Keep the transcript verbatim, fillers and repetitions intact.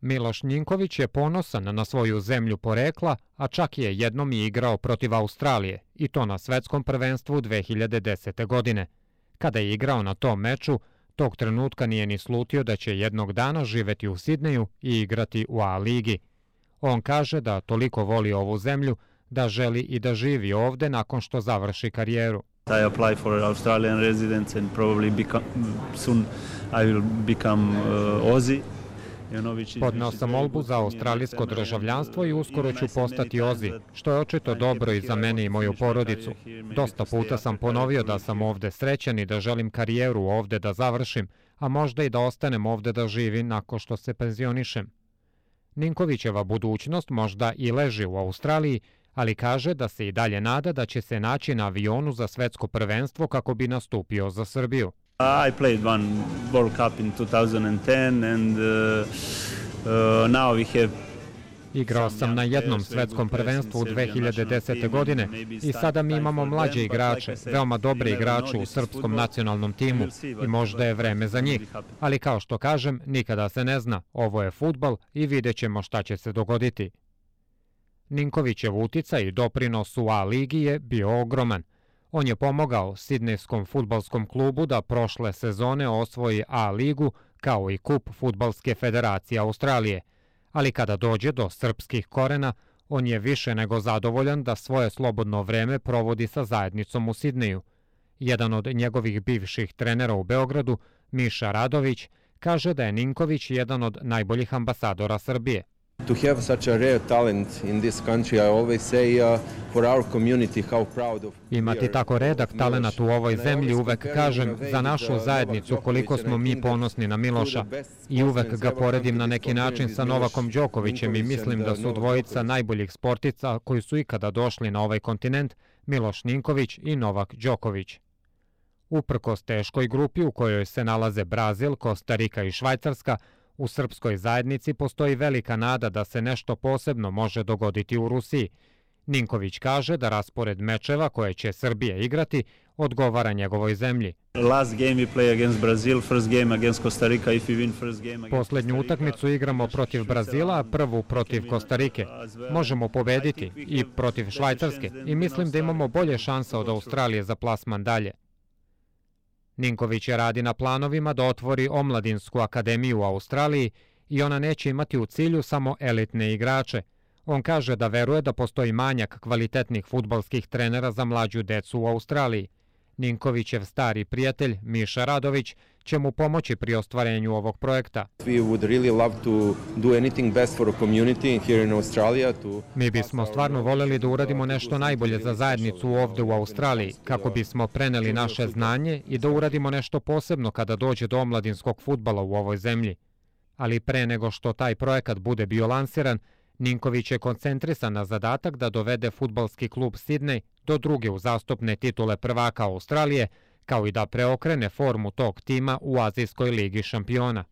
Miloš Ninković je ponosan na svoju zemlju porekla, a čak je jednom i igrao protiv Australije, i to na svetskom prvenstvu dve hiljade desete. godine. Kada je igrao na tom meču, tog trenutka nije ni slutio da će jednog dana živeti u Sidneju i igrati u A ligi. On kaže da toliko voli ovu zemlju da želi i da živi ovde nakon što završi karijeru. I apply for Australian residence and probably become, soon I will become uh, Aussie. Podneo sam molbu za australijsko državljanstvo i uskoro ću postati Ozi, što je očito dobro i za mene i moju porodicu. Dosta puta sam ponovio da sam ovde srećan i da želim karijeru ovde da završim, a možda i da ostanem ovde da živim nakon što se penzionišem. Ninkovićeva budućnost možda i leži u Australiji, ali kaže da se i dalje nada da će se naći na avionu za svetsko prvenstvo kako bi nastupio za Srbiju. I played one World Cup in two thousand ten and uh, uh, now we have Igrao sam na jednom svetskom prvenstvu u dve hiljade desete. godine i sada mi imamo mlađe igrače, veoma dobre igrače u srpskom nacionalnom timu i možda je vreme za njih. Ali kao što kažem, nikada se ne zna, ovo je fudbal i vidjet ćemo šta će se dogoditi. Ninkovićev uticaj i doprinos u A ligi je bio ogroman. On je pomogao Sidnejskom fudbalskom klubu da prošle sezone osvoji A ligu kao i kup Fudbalske federacije Australije. Ali kada dođe do srpskih korena, on je više nego zadovoljan da svoje slobodno vreme provodi sa zajednicom u Sidneju. Jedan od njegovih bivših trenera u Beogradu, Miša Radović, kaže da je Ninković jedan od najboljih ambasadora Srbije. To have such a rare talent in this country, I always say uh, for our community how proud of Imati tako redak talenat u ovoj zemlji, uvek kažem za našu zajednicu koliko smo mi ponosni na Miloša i uvek ga poredim na neki način sa Novakom Đokovićem i mislim da su dvojica najboljih sportica koji su ikada došli na ovaj kontinent, Miloš Ninković i Novak Đoković. Uprkos teškoj grupi u kojoj se nalaze Brazil, Kostarika i Švajcarska, u srpskoj zajednici postoji velika nada da se nešto posebno može dogoditi u Rusiji. Ninković kaže da raspored mečeva koje će Srbija igrati odgovara njegovoj zemlji. Last game we play against Brazil, first game against Costa Rica. If we win first game against Poslednju utakmicu igramo protiv Brazila, a prvu protiv Kostarike. Možemo pobediti i protiv Švajcarske i mislim da imamo bolje šanse od Australije za plasman dalje. Ninković je radi na planovima da otvori omladinsku akademiju u Australiji i ona neće imati u cilju samo elitne igrače. On kaže da veruje da postoji manjak kvalitetnih fudbalskih trenera za mlađu decu u Australiji. Ninkovićev stari prijatelj Miša Radović će mu pomoći pri ostvarenju ovog projekta. Mi bismo stvarno voljeli da uradimo nešto najbolje za zajednicu ovde u Australiji, kako bismo preneli naše znanje i da uradimo nešto posebno kada dođe do omladinskog fudbala u ovoj zemlji. Ali pre nego što taj projekat bude bio lansiran, Ninković je koncentrisan na zadatak da dovede fudbalski klub Sidnej do druge uzastopne titule prvaka Australije, kao i da preokrene formu tog tima u Azijskoj ligi šampiona.